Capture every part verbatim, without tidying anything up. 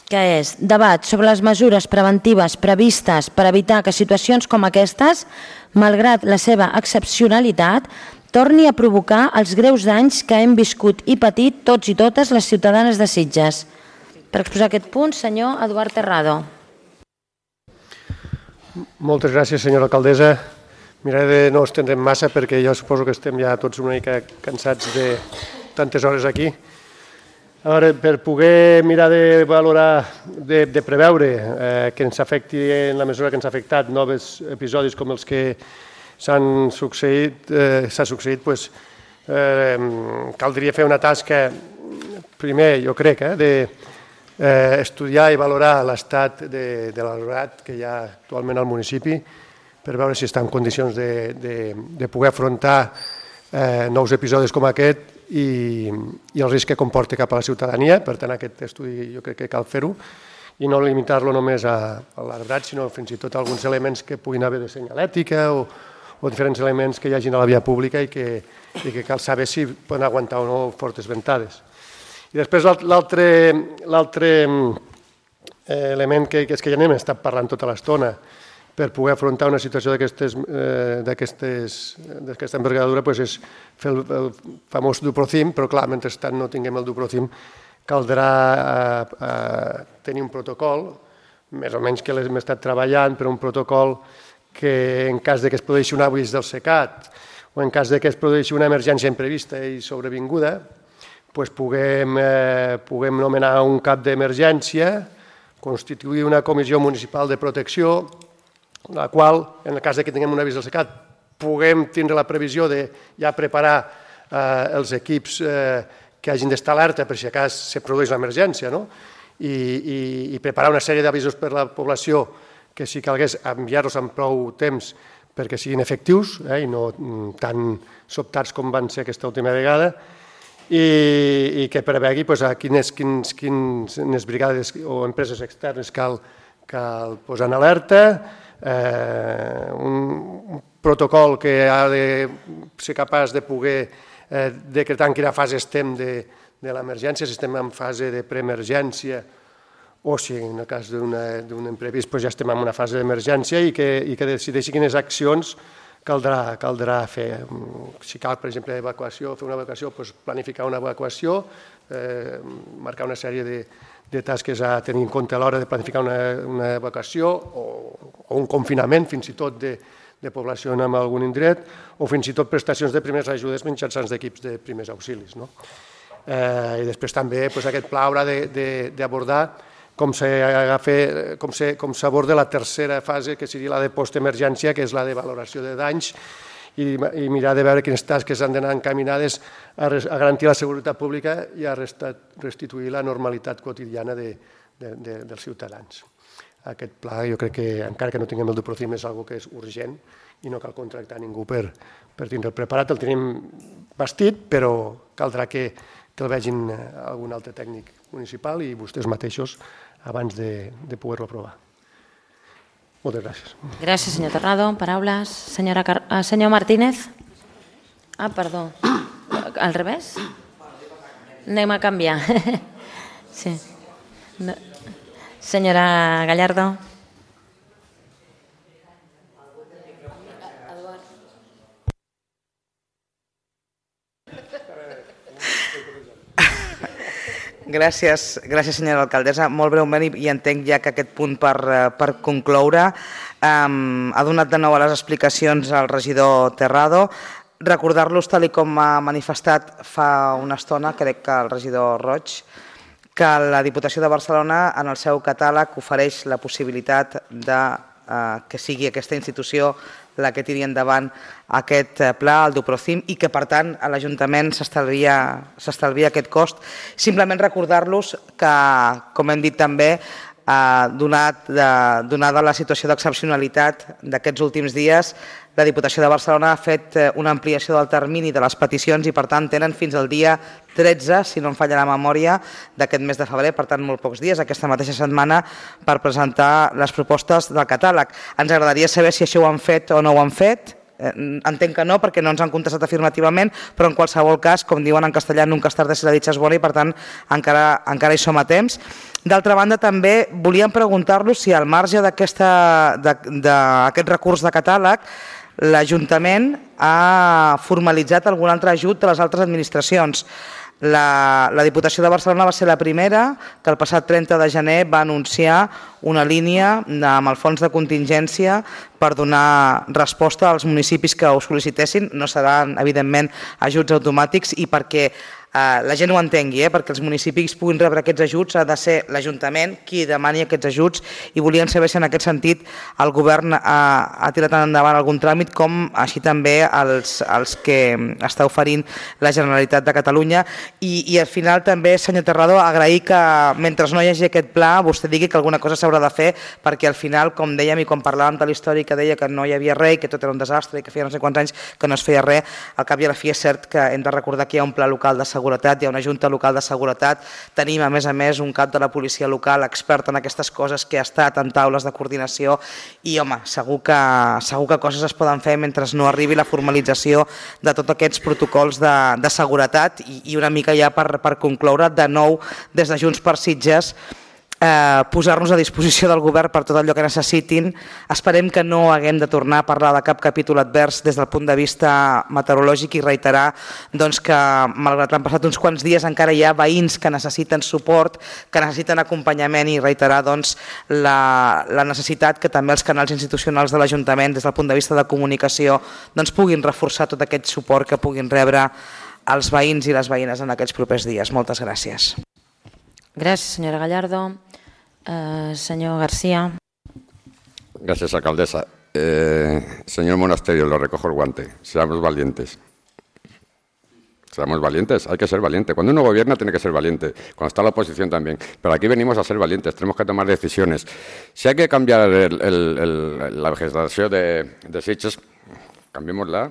que és debat sobre les mesures preventives previstes per evitar que situacions com aquestes, malgrat la seva excepcionalitat, torni a provocar els greus danys que hem viscut i patit tots i totes les ciutadanes de Sitges. Per exposar aquest punt, senyor Eduard Terrado. Moltes gràcies, senyora alcaldessa. Miraré de no estendre'm massa perquè jo suposo que estem ja tots una mica cansats de tantes hores aquí. A veure, per poder mirar de valorar, de, de preveure eh, que ens afecti en la mesura que ens ha afectat nous episodis com els que s'han succeït, eh, s'ha succeït, doncs, eh, caldria fer una tasca, primer, jo crec, eh, de eh, estudiar i valorar l'estat de, de l'alumnat que hi ha actualment al municipi per veure si està en condicions de, de, de poder afrontar eh, nous episodis com aquest i, i el risc que comporta cap a la ciutadania. Per tant, aquest estudi jo crec que cal fer-ho i no limitar-lo només a, a l'arbrat, sinó fins i tot a alguns elements que puguin haver de senyalètica o, o diferents elements que hi hagin a la via pública i que, i que cal saber si poden aguantar o no fortes ventades. I després l'altre element que, que és que ja n'hem estat parlant tota l'estona per poder afrontar una situació d'aquesta envergadura és fer el, el famós Duprocim, però clar, mentrestant no tinguem el Duprocim caldrà eh, eh, tenir un protocol, més o menys que l'hem estat treballant, però un protocol que en cas de que es produeixi un avís del SECAT o en cas de que es produeixi una emergència imprevista i sobrevinguda, doncs puguem, eh, puguem nomenar un cap d'emergència, constituir una comissió municipal de protecció, la qual, en el cas que tinguem un avís del SECAT, puguem tindre la previsió de ja preparar eh, els equips eh, que hagin d'estar alerta per si a cas se produeix l'emergència, no? I, i, i preparar una sèrie d'avisos per a la població que si calgués enviar-los amb prou temps perquè siguin efectius eh, i no tan sobtats com van ser aquesta última vegada, i, i que prevegui pues, a quines, quins, quines brigades o empreses externes cal, cal posar en alerta, eh, un, un protocol que ha de ser capaç de poder eh, decretar en quina fase estem de, de l'emergència, si estem en fase de preemergència o si en el cas d'un imprevist pues, ja estem en una fase d'emergència i que, i que decideixi quines accions Caldrà, caldrà fer, si cal, per exemple, evacuació, fer una evacuació, doncs planificar una evacuació, eh, marcar una sèrie de, de tasques a tenir en compte a l'hora de planificar una, una evacuació o, o un confinament, fins i tot de, de població en algun indret, o fins i tot prestacions de primeres ajudes mitjançant d'equips de primers auxilis. No? Eh, I després també doncs, aquest pla haurà d'abordar com s'aborda la tercera fase, que seria la de postemergència, que és la de valoració de danys, i, i mirar de veure quines tasques han d'anar encaminades a, a garantir la seguretat pública i a restituir la normalitat quotidiana de, de, de, dels ciutadans. Aquest pla, jo crec que, encara que no tinguem el Duprocim, és una cosa que és urgent i no cal contractar ningú per, per tindre'l preparat. El tenim bastit, però caldrà que, que el vegin algun altre tècnic municipal i vostès mateixos abans de, de poder-lo aprovar. Moltes gràcies. Gràcies, senyor Terrado. Paraules. Senyora Car... uh, senyor Martínez. Ah, perdó. Al revés? Anem a canviar. Sí. No. Senyora Gallardo. Gràcies, gràcies senyora alcaldessa. Molt breument, i entenc ja que aquest punt per, per concloure, um, ha donat de nou a les explicacions al regidor Terrado. Recordar-los, tal com ha manifestat fa una estona, crec que el regidor Roig, que la Diputació de Barcelona en el seu catàleg ofereix la possibilitat de uh, que sigui aquesta institució la que tiri endavant aquest pla, el Duprocim, i que, per tant, a l'Ajuntament s'estalvia aquest cost. Simplement recordar-los que, com hem dit també, donada la situació d'excepcionalitat d'aquests últims dies, la Diputació de Barcelona ha fet una ampliació del termini de les peticions i, per tant, tenen fins al dia tretze, si no em falla la memòria, d'aquest mes de febrer, per tant, molt pocs dies, aquesta mateixa setmana, per presentar les propostes del catàleg. Ens agradaria saber si això ho han fet o no ho han fet. Entenc que no, perquè no ens han contestat afirmativament, però en qualsevol cas, com diuen en castellà, nunca es tarda si la dicha es bona, i per tant encara hi som a temps. D'altra banda, també volíem preguntar-los si al marge d'aquest recurs de catàleg l'Ajuntament ha formalitzat algun altre ajut de les altres administracions. La, la Diputació de Barcelona va ser la primera que el passat trenta de gener va anunciar una línia amb el fons de contingència per donar resposta als municipis que ho sol·licitessin. No seran, evidentment, ajuts automàtics i perquè eh, la gent ho entengui, eh, perquè els municipis puguin rebre aquests ajuts ha de ser l'Ajuntament qui demani aquests ajuts i volien saber si en aquest sentit el govern ha, ha tirat endavant algun tràmit com així també els, els que està oferint la Generalitat de Catalunya. I, i al final també, senyor Terrado, agrair que mentre no hi hagi aquest pla vostè digui que alguna cosa s'haurà de fer perquè al final, com dèiem i quan parlàvem de la història que deia que no hi havia res i que tot era un desastre i que feia no sé quants anys que no es feia res, al cap i a la fi és cert que hem de recordar que hi ha un pla local de seguretat, hi ha una junta local de seguretat, tenim a més a més un cap de la policia local expert en aquestes coses que ha estat en taules de coordinació i home, segur que, segur que coses es poden fer mentre no arribi la formalització de tots aquests protocols de, de seguretat i, i una mica ja per, per concloure de nou des de Junts per Sitges Eh, posar-nos a disposició del govern per tot allò que necessitin. Esperem que no haguem de tornar a parlar de cap capítol advers des del punt de vista meteorològic i reiterar doncs, que malgrat l'han passat uns quants dies encara hi ha veïns que necessiten suport, que necessiten acompanyament i reiterar doncs, la, la necessitat que també els canals institucionals de l'Ajuntament des del punt de vista de comunicació doncs, puguin reforçar tot aquest suport que puguin rebre els veïns i les veïnes en aquests propers dies. Moltes gràcies. Gràcies, senyora Gallardo. Uh, señor García. Gracias, alcaldesa. Eh, señor Monasterio, lo recojo el guante. Seamos valientes. Seamos valientes, hay que ser valiente. Cuando uno gobierna tiene que ser valiente, cuando está la oposición también. Pero aquí venimos a ser valientes, tenemos que tomar decisiones. Si hay que cambiar el, el, el, la vegetación de, de Sitges, cambiémosla.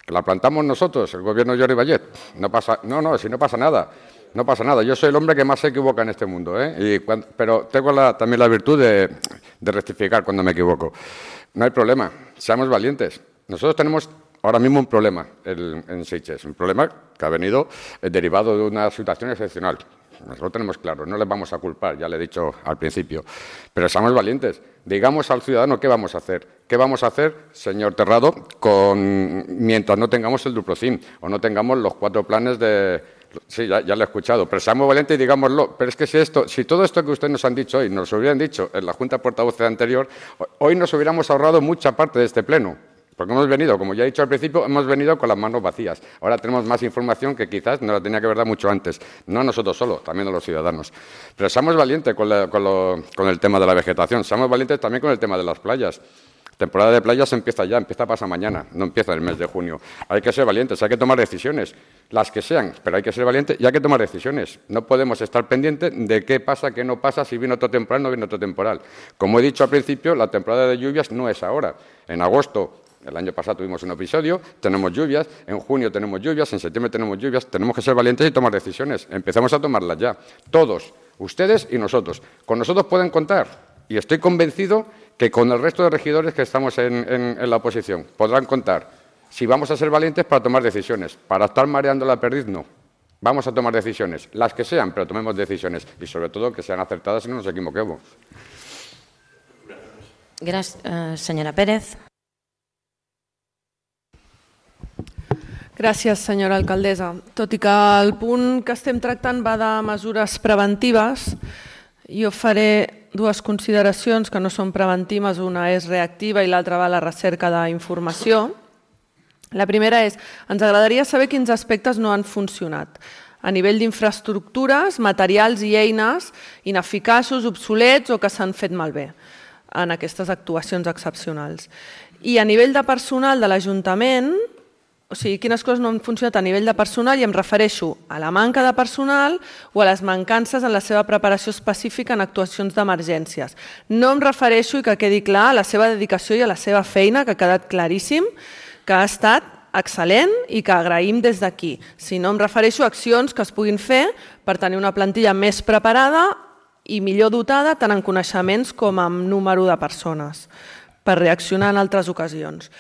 Que la plantamos nosotros, el gobierno Jordi Vallet. No pasa, no, no, si no pasa nada. No pasa nada, yo soy el hombre que más se equivoca en este mundo, ¿eh? Y cuando, pero tengo la, también la virtud de, de rectificar cuando me equivoco. No hay problema, seamos valientes. Nosotros tenemos ahora mismo un problema en, en Sitges, un problema que ha venido eh, derivado de una situación excepcional. Nosotros lo tenemos claro, no les vamos a culpar, ya le he dicho al principio. Pero seamos valientes, digamos al ciudadano qué vamos a hacer. ¿Qué vamos a hacer, señor Terrado, con, mientras no tengamos el Duprocin o no tengamos los cuatro planes de... Sí, ya, ya lo he escuchado, pero seamos valientes y digámoslo. Pero es que si, esto, si todo esto que ustedes nos han dicho hoy nos lo hubieran dicho en la Junta de Portavoces anterior, hoy nos hubiéramos ahorrado mucha parte de este pleno. Porque hemos venido, como ya he dicho al principio, hemos venido con las manos vacías. Ahora tenemos más información que quizás nos la tenía que haber dado mucho antes. No nosotros solo, también a los ciudadanos. Pero seamos valientes con, la, con, lo, con el tema de la vegetación. Seamos valientes también con el tema de las playas. Temporada de playas empieza ya, empieza pasado mañana, no empieza el mes de junio. Hay que ser valientes, hay que tomar decisiones, las que sean, pero hay que ser valientes y hay que tomar decisiones. No podemos estar pendientes de qué pasa, qué no pasa, si viene otro temporal, no viene otro temporal. Como he dicho al principio, la temporada de lluvias no es ahora. En agosto, el año pasado tuvimos un episodio, tenemos lluvias, en junio tenemos lluvias, en septiembre tenemos lluvias, tenemos que ser valientes y tomar decisiones. Empezamos a tomarlas ya, todos, ustedes y nosotros. Con nosotros pueden contar y estoy convencido que con el resto de regidores que estamos en, en, en la oposición podrán contar si vamos a ser valientes para tomar decisiones. Para estar mareando la perdiz, no. Vamos a tomar decisiones, las que sean, pero tomemos decisiones y sobre todo que sean acertadas y no nos equivoquemos. Gracias, uh, senyora Pérez. Gràcies, senyora alcaldessa. Tot i que el punt que estem tractant va de mesures preventives, jo faré dues consideracions que no són preventives, una és reactiva i l'altra va a la recerca d'informació. La primera és, ens agradaria saber quins aspectes no han funcionat a nivell d'infraestructures, materials i eines ineficaços, obsolets o que s'han fet malbé en aquestes actuacions excepcionals. I a nivell de personal de l'Ajuntament, o sigui, quines coses no han funcionat a nivell de personal i em refereixo a la manca de personal o a les mancances en la seva preparació específica en actuacions d'emergències. No em refereixo, i que quedi clar, a la seva dedicació i a la seva feina, que ha quedat claríssim, que ha estat excel·lent i que agraïm des d'aquí. Si no em refereixo a accions que es puguin fer per tenir una plantilla més preparada i millor dotada tant en coneixements com en número de persones per reaccionar en altres ocasions.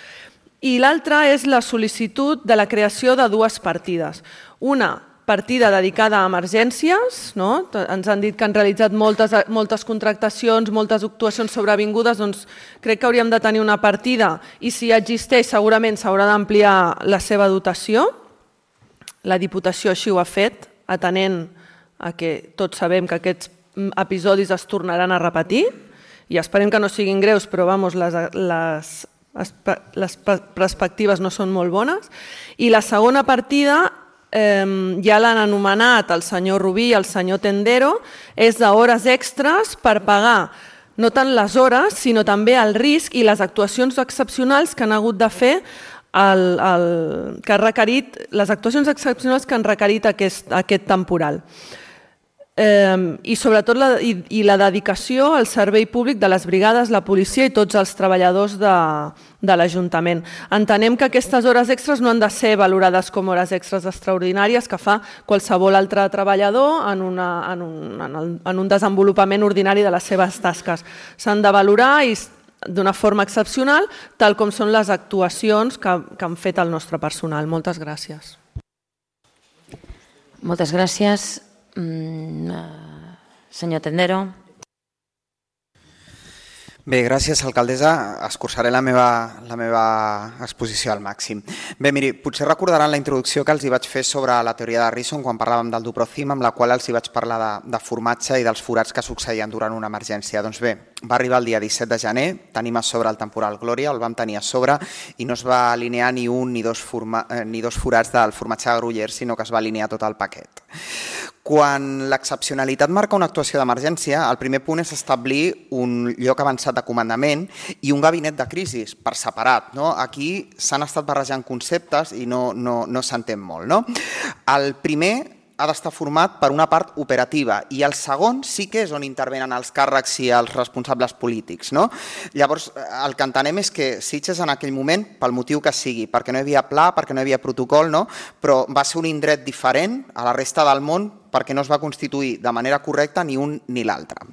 I l'altra és la sol·licitud de la creació de dues partides. Una partida dedicada a emergències, no? Ens han dit que han realitzat moltes, moltes contractacions, moltes actuacions sobrevingudes, doncs crec que hauríem de tenir una partida i si existeix segurament s'haurà d'ampliar la seva dotació. La Diputació així ho ha fet, atenent a que tots sabem que aquests episodis es tornaran a repetir i esperem que no siguin greus, però vamos, les, les, les perspectives no són molt bones. I la segona partida eh, ja l'han anomenat el senyor Rubí i el senyor Tendero, és d'hores extres per pagar no tant les hores, sinó també el risc i les actuacions excepcionals que han hagut de fer el, el, que ha requerit, les actuacions excepcionals que han requerit aquest, aquest temporal. Eh, i sobretot la, i, i la dedicació al servei públic de les brigades, la policia i tots els treballadors de, de l'Ajuntament. Entenem que aquestes hores extres no han de ser valorades com hores extres extraordinàries que fa qualsevol altre treballador en, una, en, un, en, el, en un desenvolupament ordinari de les seves tasques. S'han de valorar i d'una forma excepcional, tal com són les actuacions que, que han fet el nostre personal. Moltes gràcies. Moltes gràcies. Mm, senyor Tendero. Bé, gràcies, alcaldessa. Escurçaré la meva, la meva exposició al màxim. Bé, miri, potser recordaran la introducció que els hi vaig fer sobre la teoria de Risson quan parlàvem del Duprocim, amb la qual els hi vaig parlar de, de formatge i dels forats que succeïen durant una emergència. Doncs bé, va arribar el dia disset de gener, tenim a sobre el temporal Glòria, el vam tenir a sobre i no es va alinear ni un ni dos, forma, eh, ni dos forats del formatge de Gruyère, sinó que es va alinear tot el paquet. Quan l'excepcionalitat marca una actuació d'emergència, el primer punt és establir un lloc avançat de comandament i un gabinet de crisi per separat. No? Aquí s'han estat barrejant conceptes i no, no, no s'entén molt. No? El primer ha d'estar format per una part operativa i el segon sí que és on intervenen els càrrecs i els responsables polítics. No? Llavors, el que entenem és que Sitges en aquell moment, pel motiu que sigui, perquè no hi havia pla, perquè no hi havia protocol, no? Però va ser un indret diferent a la resta del món perquè no es va constituir de manera correcta ni un ni l'altre.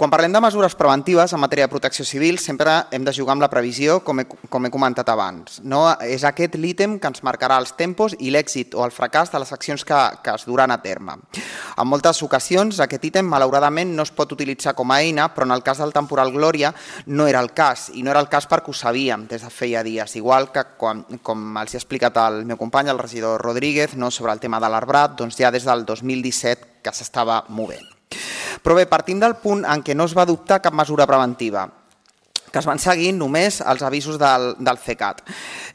Quan parlem de mesures preventives en matèria de protecció civil, sempre hem de jugar amb la previsió, com he, com he comentat abans. No? És aquest l'ítem que ens marcarà els tempos i l'èxit o el fracàs de les accions que, que es duran a terme. En moltes ocasions, aquest ítem, malauradament, no es pot utilitzar com a eina, però en el cas del temporal Glòria no era el cas, i no era el cas perquè ho sabíem des de feia dies, igual que quan, com els ha explicat el meu company, el regidor Rodríguez, no? Sobre el tema de l'arbrat, doncs ja des del dos mil disset que s'estava movent. Però bé, partim del punt en què no es va adoptar cap mesura preventiva, que es van seguir només els avisos del, del CECAT.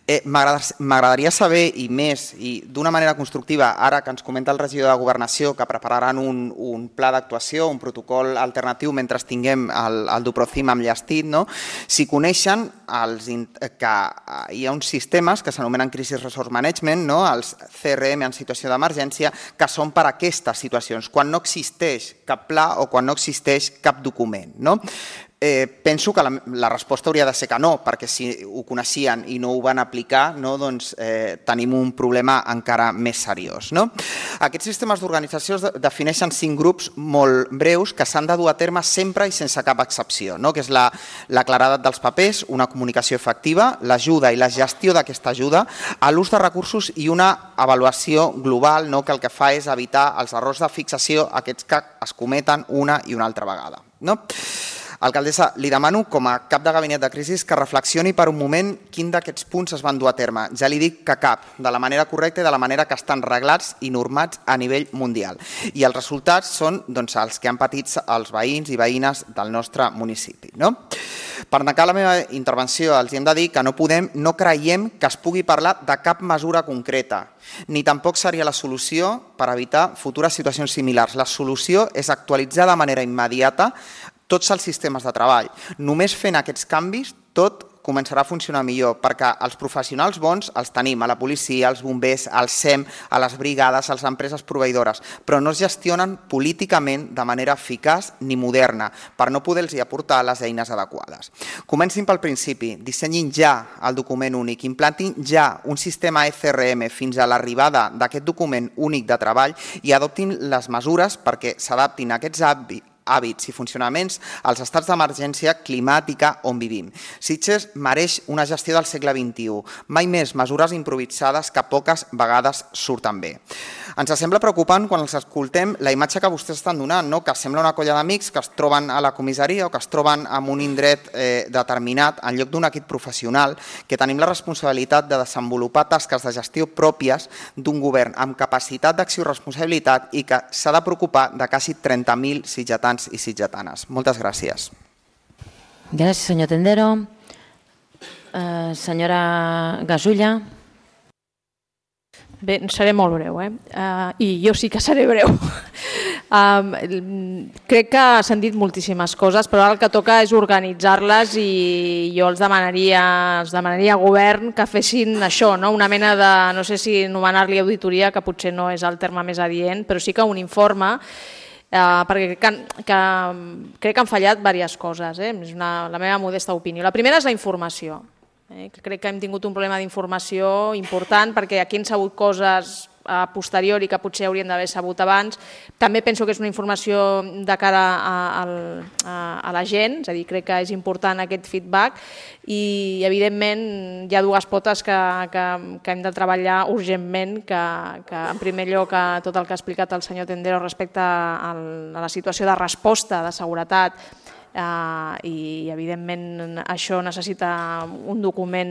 Eh, M'agradaria saber, i més, i d'una manera constructiva, ara que ens comenta el regidor de Governació que prepararan un, un pla d'actuació, un protocol alternatiu mentre tinguem el, el Duprocim enllestit, no? Si coneixen els, que hi ha uns sistemes que s'anomenen Crisis Resource Management, no? Els C R M en situació d'emergència, que són per a aquestes situacions, quan no existeix cap pla o quan no existeix cap document. No? Eh, penso que la, la resposta hauria de ser que no, perquè si ho coneixien i no ho van aplicar, no, doncs, eh, tenim un problema encara més seriós. No? Aquests sistemes d'organització es defineixen cinc grups molt breus que s'han de dur a terme sempre i sense cap excepció, no? Que és la, la claredat dels papers, una comunicació efectiva, l'ajuda i la gestió d'aquesta ajuda, l'ús de recursos i una avaluació global, no? Que el que fa és evitar els errors de fixació, aquests que es cometen una i una altra vegada. No? Alcaldessa, li demano com a cap de gabinet de crisi que reflexioni per un moment quin d'aquests punts es van dur a terme. Ja li dic que cap, de la manera correcta i de la manera que estan reglats i normats a nivell mundial. I els resultats són doncs, els que han patit els veïns i veïnes del nostre municipi. No? Per tancar la meva intervenció els hem de dir que no podem, no creiem que es pugui parlar de cap mesura concreta, ni tampoc seria la solució per evitar futures situacions similars. La solució és actualitzar de manera immediata tots els sistemes de treball. Només fent aquests canvis tot començarà a funcionar millor, perquè els professionals bons els tenim a la policia, als bombers, al S E M, a les brigades, a les empreses proveïdores, però no es gestionen políticament de manera eficaç ni moderna per no poder-los aportar les eines adequades. Comencin pel principi, dissenyin ja el document únic, implantin ja un sistema E C R M fins a l'arribada d'aquest document únic de treball i adoptin les mesures perquè s'adaptin a aquests hàbits hàbits i funcionaments als estats d'emergència climàtica on vivim. Sitges mereix una gestió del segle vint-i-u, mai més mesures improvisades que poques vegades surten bé. Ens sembla preocupant quan els escoltem la imatge que vostès estan donant, no? Que sembla una colla d'amics que es troben a la comissaria o que es troben en un indret eh, determinat en lloc d'un equip professional, que tenim la responsabilitat de desenvolupar tasques de gestió pròpies d'un govern amb capacitat d'acció i responsabilitat i que s'ha de preocupar de quasi trenta mil sitgetans i sitgetanes. Moltes gràcies. Gràcies, senyor Tendero. Uh, senyora Gasulla. Bé, seré molt breu, eh? Uh, i jo sí que seré breu. Um, crec que s'han dit moltíssimes coses, però ara el que toca és organitzar-les i jo els demanaria, els demanaria a govern que fessin això, no? Una mena de, no sé si anomenar-li auditoria, que potser no és el terme més adient, però sí que un informe. Uh, perquè crec que, que, crec que han fallat diverses coses, eh? És una, la meva modesta opinió. La primera és la informació. Eh? Crec que hem tingut un problema d'informació important perquè aquí han sabut coses a posteriori que potser haurien d'haver sabut abans. També penso que és una informació de cara a, a, a la gent, és a dir, crec que és important aquest feedback i evidentment hi ha dues potes que, que, que hem de treballar urgentment, que, que en primer lloc tot el que ha explicat el senyor Tendero respecte a la situació de resposta, de seguretat, Uh, i evidentment això necessita un document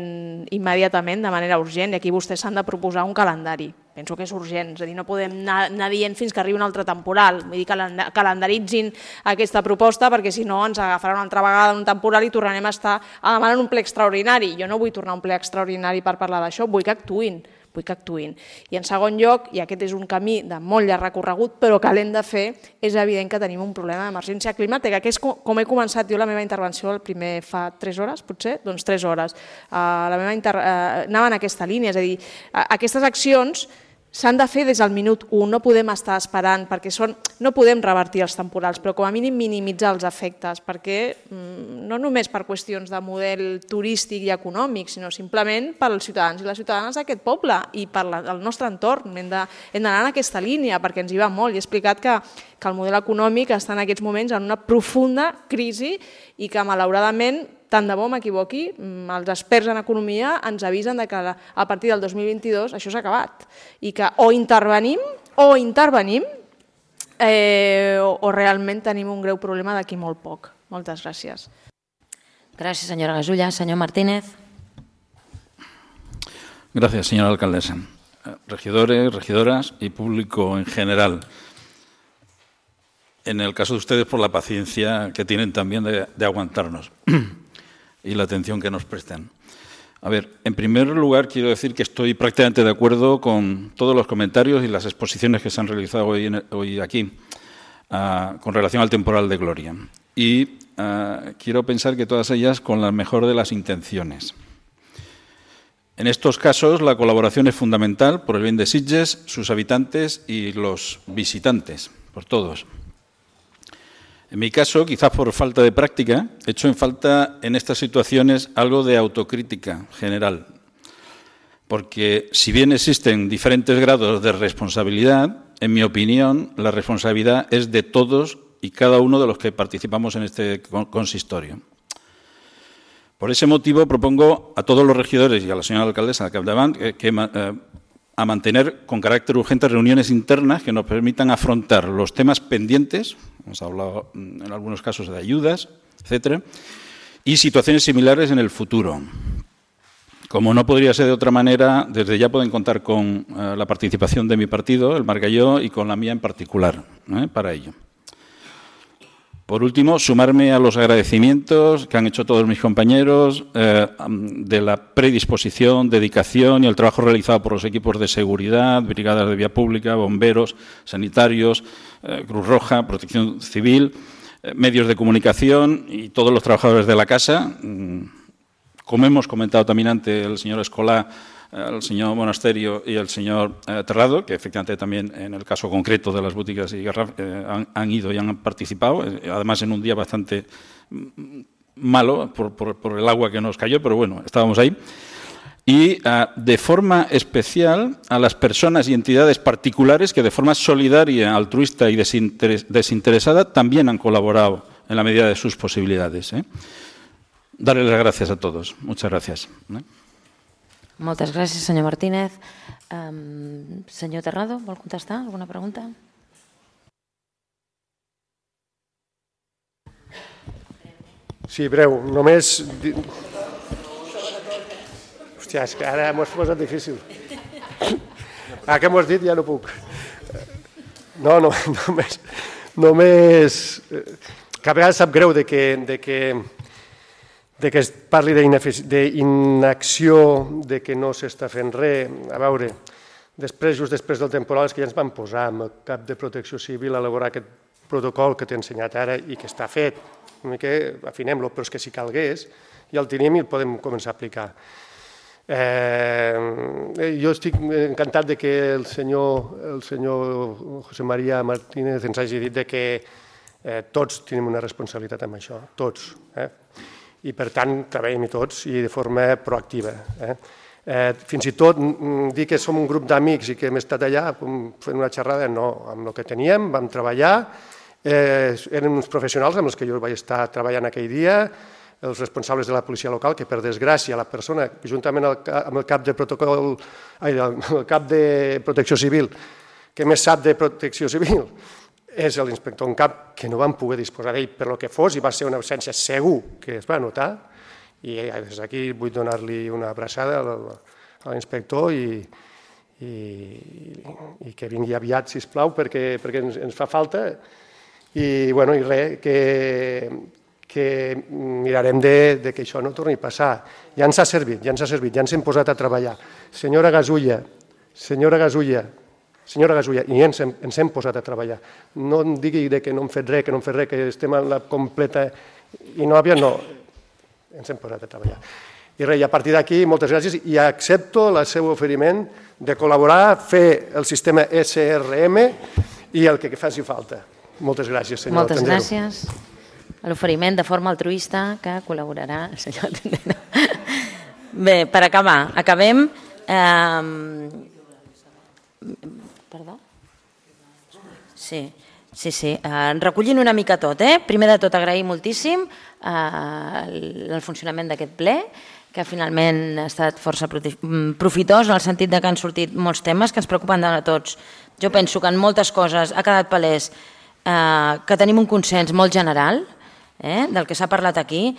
immediatament de manera urgent i aquí vostès s'han de proposar un calendari. Penso que és urgent, és a dir, no podem anar, anar dient fins que arribi un altre temporal, vull dir, calendaritzin aquesta proposta perquè si no ens agafarà una altra vegada un temporal i tornarem a estar a demanar un ple extraordinari. Jo no vull tornar a un ple extraordinari per parlar d'això, vull que actuïn. vull que actuïn. I en segon lloc, i aquest és un camí de molt llarg recorregut, però que l'hem de fer, és evident que tenim un problema d'emergència climàtica, que és com he començat jo la meva intervenció el primer fa tres hores, potser? Doncs tres hores. Uh, la meva inter... uh, anava en aquesta línia, és a dir, uh, aquestes accions s'han de fer des del minut u, no podem estar esperant, perquè són, no podem revertir els temporals, però com a mínim minimitzar els efectes, perquè no només per qüestions de model turístic i econòmic, sinó simplement per als ciutadans i les ciutadanes d'aquest poble i per el nostre entorn. Hem d'anar en aquesta línia, perquè ens hi va molt. I he explicat que, que el model econòmic està en aquests moments en una profunda crisi i que, malauradament, tant de bo m'equivoqui, els experts en economia ens avisen que a partir del dos mil vint-i-dos això s'ha acabat i que o intervenim o intervenim eh, o, o realment tenim un greu problema d'aquí molt poc. Moltes gràcies. Gràcies, senyora Gasulla. Senyor Martínez. Gracias, señora alcaldesa. Regidores, regidoras y público en general. En el caso de ustedes, por la paciencia que tienen también de, de aguantarnos y la atención que nos prestan. A ver, en primer lugar quiero decir que estoy prácticamente de acuerdo con todos los comentarios y las exposiciones que se han realizado hoy, en, hoy aquí uh, con relación al temporal de Gloria. Y uh, quiero pensar que todas ellas con la mejor de las intenciones. En estos casos la colaboración es fundamental por el bien de Sitges, sus habitantes y los visitantes, por todos. En mi caso, quizás por falta de práctica, he hecho en falta en estas situaciones algo de autocrítica general. Porque si bien existen diferentes grados de responsabilidad, en mi opinión, la responsabilidad es de todos y cada uno de los que participamos en este consistorio. Por ese motivo propongo a todos los regidores y a la señora alcaldesa de Capdavant que, que eh, a mantener con carácter urgente reuniones internas que nos permitan afrontar los temas pendientes, hemos hablado en algunos casos de ayudas, etcétera, y situaciones similares en el futuro. Como no podría ser de otra manera, desde ya pueden contar con eh, la participación de mi partido, el Margalló, y con la mía en particular, ¿eh? para ello. Por último, sumarme a los agradecimientos que han hecho todos mis compañeros eh, de la predisposición, dedicación y el trabajo realizado por los equipos de seguridad, brigadas de vía pública, bomberos, sanitarios, eh, Cruz Roja, Protección Civil, eh, medios de comunicación y todos los trabajadores de la casa. Como hemos comentado también ante el señor Escolá, el señor Monasterio y el señor eh, Terrado, que efectivamente también en el caso concreto de las boutiques y garraf eh, han, han ido y han participado, eh, además en un día bastante malo por, por, por el agua que nos cayó, pero bueno, estábamos ahí. Y eh, de forma especial a las personas y entidades particulares que de forma solidaria, altruista y desinteres desinteresada también han colaborado en la medida de sus posibilidades. ¿eh? Darles las gracias a todos. Muchas gracias. ¿eh? Moltes gràcies, senyor Martínez. Senyor Terrado, vol contestar alguna pregunta? Sí, breu. Només... Hòstia, és que ara m'ho has posat difícil. Ara que m'ho has dit ja no puc. No, no, només... Només... Que a vegades sap greu de que, de que, de que es parli d'inacció, de que no s'està fent res. A veure, després, just després del temporal, és que ja ens vam posar amb el cap de Protecció Civil a elaborar aquest protocol que t'he ensenyat ara i que està fet. Una mica afinem-lo, però és que si calgués ja el tenim i el podem començar a aplicar. Eh, jo estic encantat de que el senyor, el senyor José María Martínez ens hagi dit de que eh, tots tenim una responsabilitat amb això, tots. Eh? I per tant treballem-hi tots i de forma proactiva. Eh? Eh, fins i tot dir que som un grup d'amics i que hem estat allà fent una xerrada, no, amb el que teníem, vam treballar, eh, eren uns professionals amb els que jo vaig estar treballant aquell dia, els responsables de la policia local, que per desgràcia la persona, juntament amb el cap de protocol, ai, el cap de protecció civil, que més sap de protecció civil, és l'inspector en cap, que no vam poder disposar d'ell per lo que fos i va ser una absència segur que es va notar, i des d'aquí vull donar-li una abraçada a l'inspector i, i, i que vingui aviat, sisplau, perquè, perquè ens, ens fa falta i, bueno, i res, que, que mirarem de, de que això no torni a passar. Ja ens ha servit, ja ens ha servit, ja ens hem posat a treballar. Senyora Gasulla, senyora Gasulla, senyora Gasulla, i ens hem, ens hem posat a treballar. No em digui que no hem fet res, que no hem fet res, que estem en la completa inòvia, no. Ens hem posat a treballar. I res, a partir d'aquí, moltes gràcies i accepto el seu oferiment de col·laborar, fer el sistema S R M i el que faci falta. Moltes gràcies, senyor Moltes Tendero. gràcies. L'oferiment de forma altruista que col·laborarà el senyor Tendero. Bé, per acabar, acabem... Eh... Perdó? Sí. Sí, sí, eh, recollint una mica tot. Eh? Primer de tot, agrair moltíssim eh, el funcionament d'aquest ple, que finalment ha estat força profitós, en el sentit de que han sortit molts temes que ens preocupen de tots. Jo penso que en moltes coses ha quedat palès eh, que tenim un consens molt general eh, del que s'ha parlat aquí.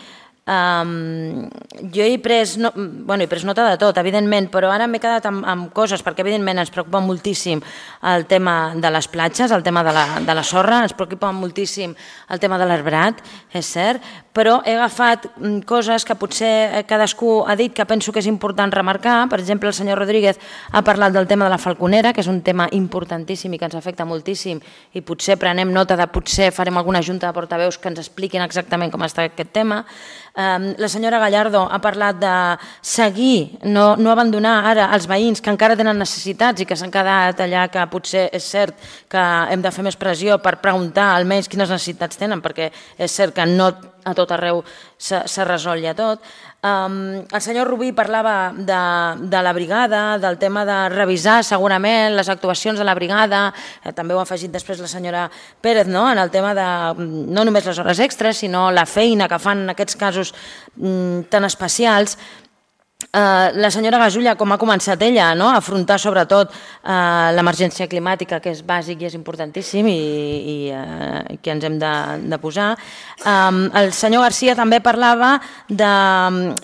Um, jo he pres, no, bueno, he pres nota de tot, evidentment, però ara m'he quedat amb, amb coses, perquè evidentment ens preocupa moltíssim el tema de les platges, el tema de la, de la sorra, ens preocupa moltíssim el tema de l'arbrat, és cert, però he agafat coses que potser cadascú ha dit que penso que és important remarcar. Per exemple, el senyor Rodríguez ha parlat del tema de la falconera, que és un tema importantíssim i que ens afecta moltíssim, i potser prenem nota de potser farem alguna junta de portaveus que ens expliquin exactament com està aquest tema. La senyora Gallardo ha parlat de seguir, no, no abandonar ara els veïns que encara tenen necessitats i que s'han quedat allà, que potser és cert que hem de fer més pressió per preguntar almenys quines necessitats tenen, perquè és cert que no a tot arreu s'ha resolt ja tot. Um, el senyor Rubí parlava de, de la brigada, del tema de revisar segurament les actuacions de la brigada, eh, també ho ha afegit després la senyora Pérez, no? En el tema de no només les hores extres, sinó la feina que fan en aquests casos mm, tan especials. Uh, la senyora Gasulla, com ha començat ella, no? A afrontar sobretot uh, l'emergència climàtica, que és bàsic i és importantíssim i, i uh, que ens hem de, de posar. Um, el senyor Garcia també parlava de...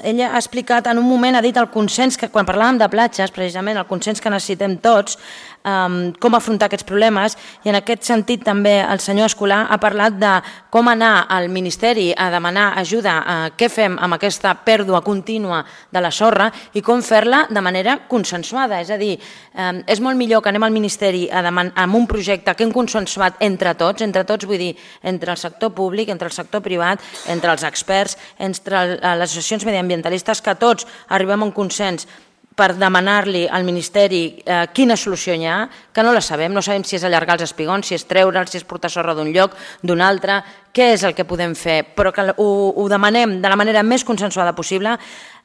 Ella ha explicat en un moment, ha dit el consens, que quan parlàvem de platges, precisament el consens que necessitem tots, um, com afrontar aquests problemes, i en aquest sentit també el senyor Escolà ha parlat de com anar al Ministeri a demanar ajuda a què fem amb aquesta pèrdua contínua de la sorra i com fer-la de manera consensuada. És a dir, eh, és molt millor que anem al Ministeri a demanar, amb un projecte que hem consensuat entre tots, entre tots vull dir, entre el sector públic, entre el sector privat, entre els experts, entre les associacions mediambientalistes, que tots arribem a un consens per demanar-li al Ministeri eh, quina solució hi ha, que no la sabem, no sabem si és allargar els espigons, si és treure'ls, si és portar sorra d'un lloc, d'un altre, què és el que podem fer, però que ho, ho demanem de la manera més consensuada possible.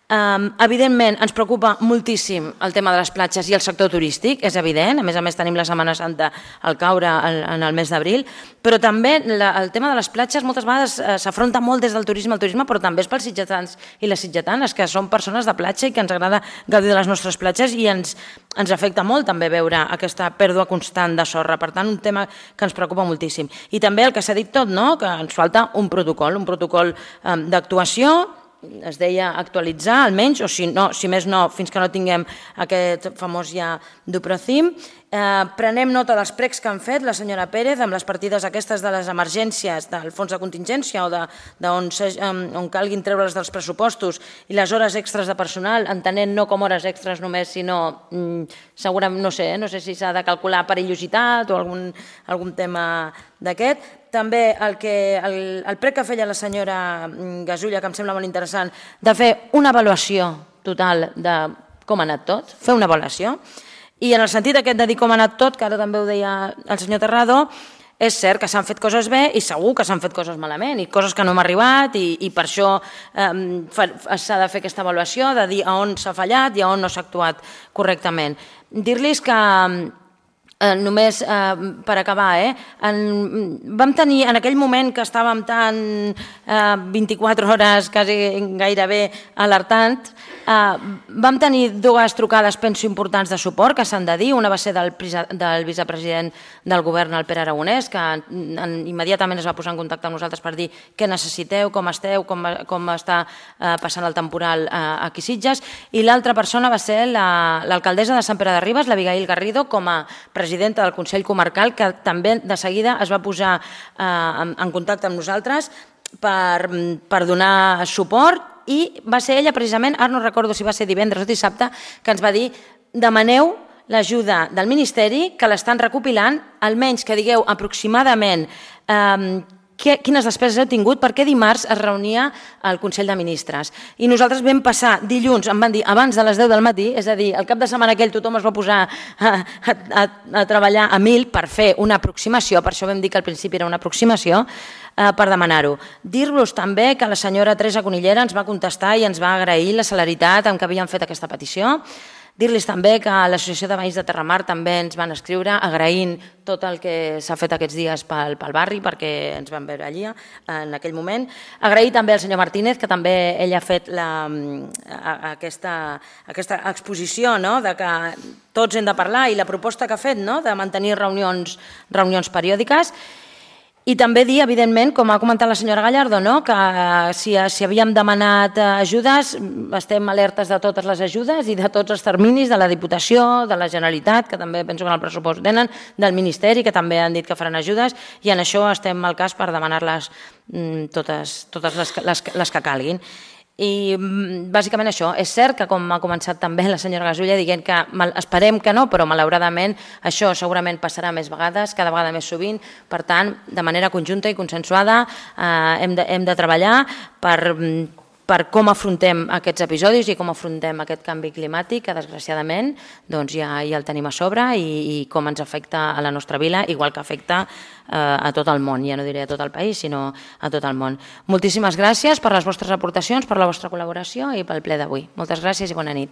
Um, evidentment, ens preocupa moltíssim el tema de les platges i el sector turístic, és evident. A més a més, tenim la Setmana Santa al caure en el mes d'abril, però també la, el tema de les platges moltes vegades eh, s'afronta molt des del turisme al turisme, però també és pels sitgetans i les sitgetanes, que són persones de platja i que ens agrada gaudir de les nostres platges i ens, ens afecta molt també veure aquesta pèrdua constant de sorra. Per tant, un tema que ens preocupa moltíssim. I també el que s'ha dit tot, no? Que ens falta un protocol, un protocol eh, d'actuació, es deia actualitzar almenys, o si, no, si més no, fins que no tinguem aquest famós ja Duprocim. Eh, prenem nota dels precs que han fet la senyora Pérez amb les partides aquestes de les emergències del fons de contingència o de, de on, se, on calguin treure-les dels pressupostos i les hores extres de personal, entenent no com hores extres només, sinó mm, segurament, no sé, no sé si s'ha de calcular perillositat o algun, algun tema d'aquest. També el, que, el, el prec que feia la senyora Gasulla, que em sembla molt interessant, de fer una avaluació total de com ha anat tot, fer una avaluació. I en el sentit aquest de dir com ha anat tot, que ara també ho deia el senyor Terrado, és cert que s'han fet coses bé i segur que s'han fet coses malament i coses que no hem arribat i, i per això eh, s'ha de fer aquesta avaluació, de dir a on s'ha fallat i a on no s'ha actuat correctament. Dir-los que Eh, només eh, per acabar, eh, en, vam tenir en aquell moment que estàvem tan eh, vint-i-quatre hores quasi gairebé alertant, eh, vam tenir dues trucades penso importants de suport que s'han de dir, una va ser del, del vicepresident del govern, el Pere Aragonès, que en, immediatament es va posar en contacte amb nosaltres per dir què necessiteu, com esteu, com, com està eh, passant el temporal eh, aquí a Sitges, i l'altra persona va ser l'alcaldessa la, de Sant Pere de Ribes, l'Abigail Garrido, com a presidenta del Consell Comarcal, que també de seguida es va posar eh, en, en contacte amb nosaltres per, per donar suport i va ser ella precisament, ara no recordo si va ser divendres o dissabte, que ens va dir demaneu l'ajuda del Ministeri que l'estan recopilant, almenys que digueu aproximadament eh, quines despeses heu tingut, perquè dimarts es reunia el Consell de Ministres. I nosaltres vam passar dilluns, em van dir, abans de les deu del matí, és a dir, el cap de setmana aquell tothom es va posar a, a, a, a treballar a mil per fer una aproximació, per això vam dir que al principi era una aproximació, eh, per demanar-ho. Dir-vos també que la senyora Teresa Conillera ens va contestar i ens va agrair la celeritat amb què havien fet aquesta petició. Dir-los també que l'Associació de Veïns de Terramar també ens van escriure agraint tot el que s'ha fet aquests dies pel, pel barri, perquè ens van veure allí en aquell moment. Agrair també al senyor Martínez, que també ell ha fet la, aquesta, aquesta exposició, no?, de que tots hem de parlar, i la proposta que ha fet, no?, de mantenir reunions, reunions periòdiques. I també dir, evidentment, com ha comentat la senyora Gallardo, no?, que si, si havíem demanat ajudes, estem alertes de totes les ajudes i de tots els terminis de la Diputació, de la Generalitat, que també penso que en el pressupost tenen, del Ministeri, que també han dit que faran ajudes, i en això estem al cas per demanar-les totes, totes les, les, les que calguin. I bàsicament això, és cert que com ha començat també la senyora Gasulla dient que esperem que no, però malauradament això segurament passarà més vegades, cada vegada més sovint, per tant, de manera conjunta i consensuada eh, hem, de, hem de treballar per, per com afrontem aquests episodis i com afrontem aquest canvi climàtic que desgraciadament doncs, ja, ja el tenim a sobre i, i com ens afecta a la nostra vila, igual que afecta a tot el món, ja no diré a tot el país, sinó a tot el món. Moltíssimes gràcies per les vostres aportacions, per la vostra col·laboració i pel ple d'avui. Moltes gràcies i bona nit.